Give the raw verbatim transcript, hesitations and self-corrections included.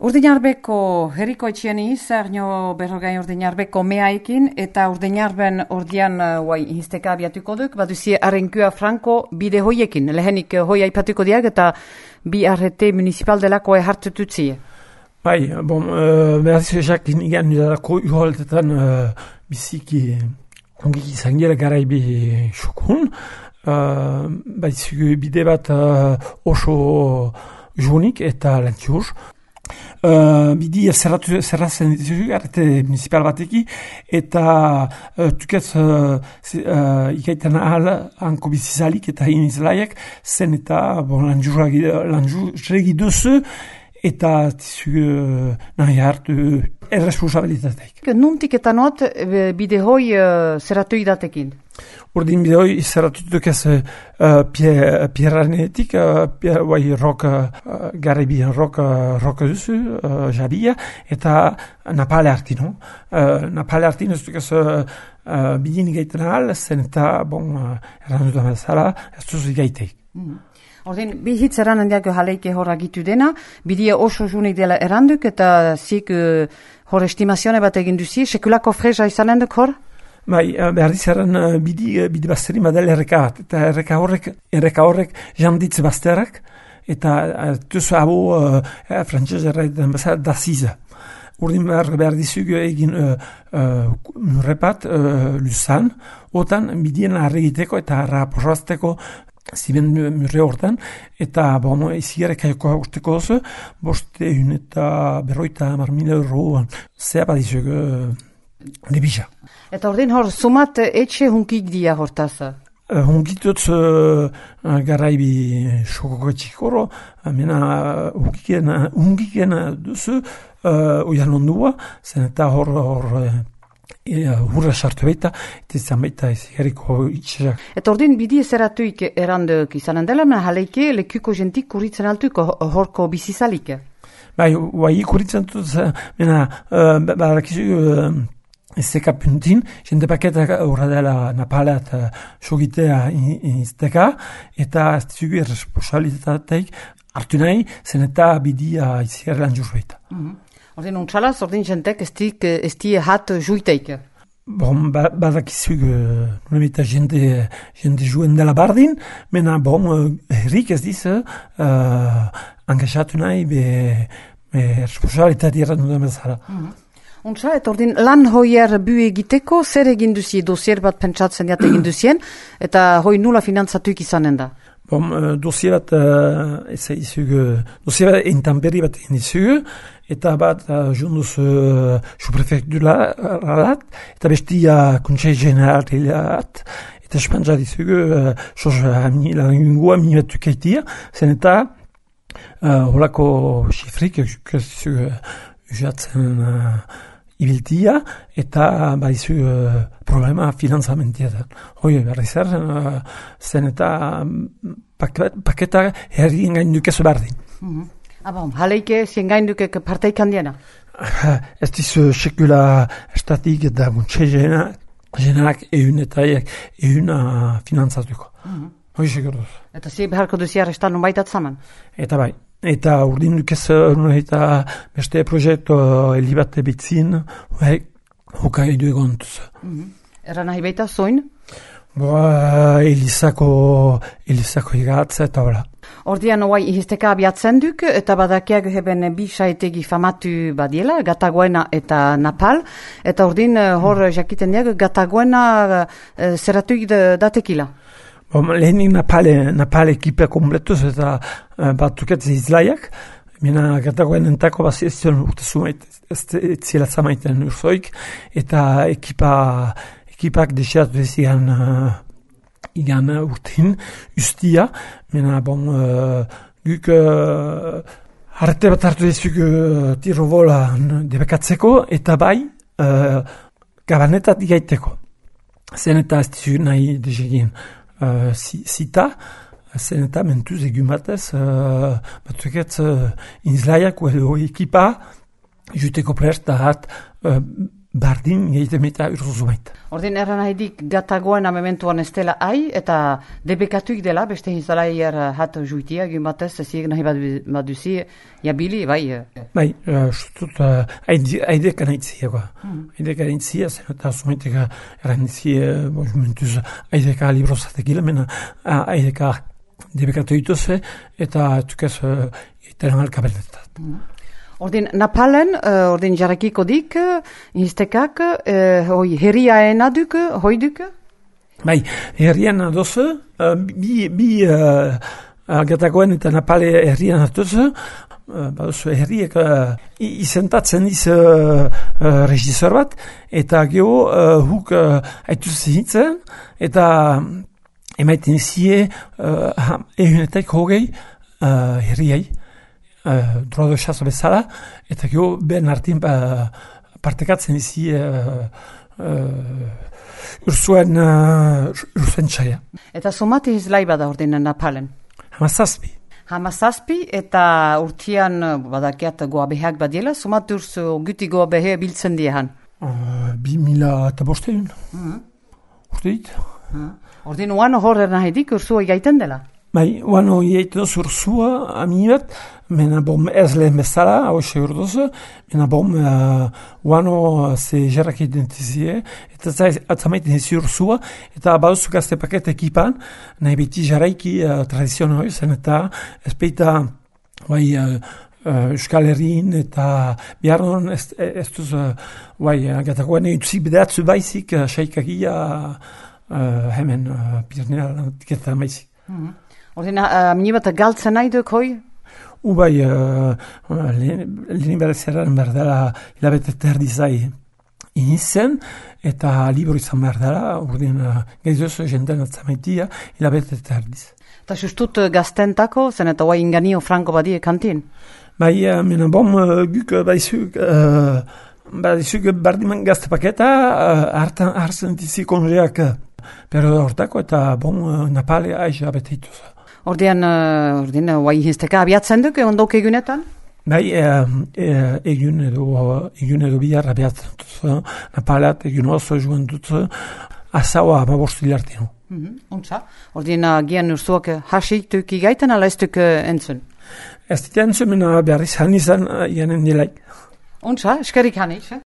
Urdinarbeko herriko etxieni zarnio berrogain urdinarbeko meaikin eta urdinarben ordian guai uh, hizteka abiatuko duk, baduzi arrenkua franko bide hoiekin. Lehenik uh, hoi aipatuko diag eta bi arrete municipal delako hartututzi. Bai, bon, uh, behaz ezak inigan dudalako uholtetan uh, biziki ongik izan gira garaibi xokun. Uh, Baizugu bide bat uh, oso junik eta lentiuz. Uh, bidi zerratu zerrazen ditugu arrete municipal bateki eta uh, tukez uh, uh, ikaitan ahal hanko bizizalik eta inizlaiak zen eta bon, lanjurregi duzu eta tizugu uh, nahi hartu erresponsabilitateik. Nuntik eta not bide hoi uh, zerratu idatekin? Urdin bide hoi zerratu dukez uh, pierranetik, uh, pier, bai rok, uh, garibien rok, uh, rok duzu, uh, jabia, eta napale hartino. Uh, napale hartino ez dukez uh, uh, bidin gaiten ahal, zen eta, bon, uh, errandu da bezala, ez duzu gaiteik. Mm. Ordin, bi hitz eran handiak jaleike hor agitu dena, bidia oso junik dela eranduk, eta zik uh, hor estimazione bat egin duzi, sekulako freza izan handuk hor? Bai, behar dizaren uh, bidi, uh, bidi bazteri madel erreka bat, eta erreka horrek, erreka horrek janditz bazterak, eta uh, tuzu abo uh, uh, frantzez erraiten bezala da ziza. Urdin behar, behar dizugu egin uh, uh, murrepat uh, luzan, otan bidien arregiteko eta raporrazteko ziben murre hortan, eta bon, izigarek aioko usteko oso, boste un eta berroita mar mila euro zea badizugu uh, libisa. Eta ordin hor, sumat etxe hunkik dia hortaz? Uh, hunkitutz uh, garaibi xokoko etxikoro, mena hunkiken, hunkiken duzu uh, uian ondua, zen eta hor, hor uh, hurra sartu baita, eta izan baita izigariko itxerak. Eta ordin bidi ezeratuik eranduk izanen dela, mena jaleike lekuko jentik kuritzen altuk horko bizizalik? Bai, bai kuritzen dut, mena, uh, badakizu, uh, ez zeka puntin, jende paketak horra dela napaleat uh, sogitea izteka, eta ez zugu erresponsabilitateik hartu nahi, zen eta bidia izigar lan jurbeita. Mm-hmm. Ordin untxalaz, ordin jentek ez di hat juiteik? Bon, ba, badakizugu, uh, jende, jende juen dela bardin, mena, bon, uh, herrik ez diz, uh, angaxatu nahi, be, be responsabilitate errandu da bezala. Mm-hmm. Untsa, eta ordin lan hoier bu egiteko, zer egin duzi, dosier bat pentsatzen jat egin duzien, eta hoi nula finantzatuik izanen da? Bon, uh, dosier bat, uh, ez izugu, dosier bat entanberri bat egin izugu, eta bat uh, junduz uh, suprefekturalat, eta besti uh, kontsei generalilat, eta espantza dizugu, uh, sos langua mi bat tukaitia, zen eta uh, holako xifrik, dizugu, usatzen uh, ibiltia, eta baizu uh, problema finanzamentia. Hoi, berri zer, uh, zen eta um, paketa herrien gaindukezu bardin. Mm-hmm. Abon, jaleike zien gaindukek parteik handiena? Ez dizu sekula estatik eta guntxe jenak egun eta egun uh, finanzatuko. Mm-hmm. Hoi seguruz. Eta zi beharko duzi arrestan nun baitat zaman? Eta bai. Eta urdin dukez eta beste proiektu helibate bitzin, hoka edu egontuz. Mm-hmm. Erra nahi baita zoin? Boa, Elizako, Elizako higatza eta hola. Ordian oai ihizteka abiatzen duk, eta badakiak heben bi saetegi famatu badiela, Gatagoena eta Napal, eta ordin hor jakiten diag, Gatagoena uh, zeratuik datekila. Bon, lehenik Napale, Napale ekipa kompletuz eta uh, batuket izlaiak, mena Gatagoen entako bazi ez zion urte zumait, ez zila zamaiten urzoik, eta ekipa, ekipak desiratu ez igan, uh, igan urtein ustia, mena bon, uh, guk uh, harrete bat hartu ezuk uh, tiro bola debekatzeko, eta bai uh, gabanetat igaiteko. Zen eta ez dizu nahi desegin. Uh, zita, zen eta mentuz egun batez, uh, batuket uh, inzlaiak edo ekipa juteko prest da hat uh, bardin egiten eta urzuzu baita. Ordin erran haidik gatagoen amementuan ez dela ai, eta debekatuik dela, beste hinzalaier hat juitia, egin batez, ziek nahi baduzi, jabili, bai? Bai, sutut, haidek anaitzia, haidek anaitzia, zen eta zumaitek eranitzia, mentuz, haideka librozatek gila, mena haideka debekatu dituz, eta tukez, eta alkabenetat. Ordin Napalen, uh, ordin jarrakiko dik, instekak, uh, hoi herriaena duk, hoi duk? Bai, herrian adoz, uh, bi, bi uh, gatagoen eta Napale herrian adoz, uh, baduz herriek uh, izentatzen iz uh, uh, regizor bat, eta geho uh, huk uh, haituz hitzen, eta emaiten zie uh, ehunetek hogei uh, herriai. Uh, drodo esaz bezala, eta gero ben artin uh, partekatzen izi uh, uh, ursuen uh, ursuen txaia. Eta somati izlai bada ordin Napalen? Hamazazpi. Hamazazpi, eta urtian badakiat goa beheak badiela, somati urs guti goa behe biltzen diehan? Uh, bi mila eta bosteun. Mm-hmm. Urte dit. Mm-hmm. Ordin oan horren nahedik ursua gaiten dela? Bai, oano iaiten duz ursua ami bat, mena bom ez lehen bezala, hau ese urdoz, mena bom uh, oano ze jarrak identizie, eta atzamaiten ezi ursua, eta baduzu gazte paket ekipan, nahi beti jarraiki uh, tradizioa zen, eta ez peita bai, uh, uh, Euskal Herrin, eta biharron ez, ez duz, uh, bai, gatakoen utzik bedatzu baizik, uh, saikagia uh, hemen, uh, Pirnea tiketan baizik. Mm-hmm. Ordin, uh, mini bat galtzen nahi duk hoi? Ubai, uh, lehen berezeraren behar dela hilabete terdi zai inizen, eta libro izan behar dela, ordin, uh, gaizozo jenden atzamaitia hilabete terdiz. Eta sustut gaztentako, zen eta guai inganio franko badie kantin? Bai, uh, mena bom, uh, guk baizuk, uh, baizuk bardiman gazte paketa, uh, hartan hartzen dizi konreak, uh, pero hortako, eta bom, uh, Napale aiz abetituz. Ordean, uh, ordean, guai hinsteka abiatzen duk, ondok egunetan? Bai, e, e, egun edo, egun edo bihar abiatzen dut, Napalat, egun oso joan dut, azaua amabostu artino. Mm-hmm. Untza, ordean, gian urzuak hasik duk igaiten, ala ez duk entzun? Ez dut entzun, mena behar izan izan, janen nilaik. Untza, eskerik hanis, eh?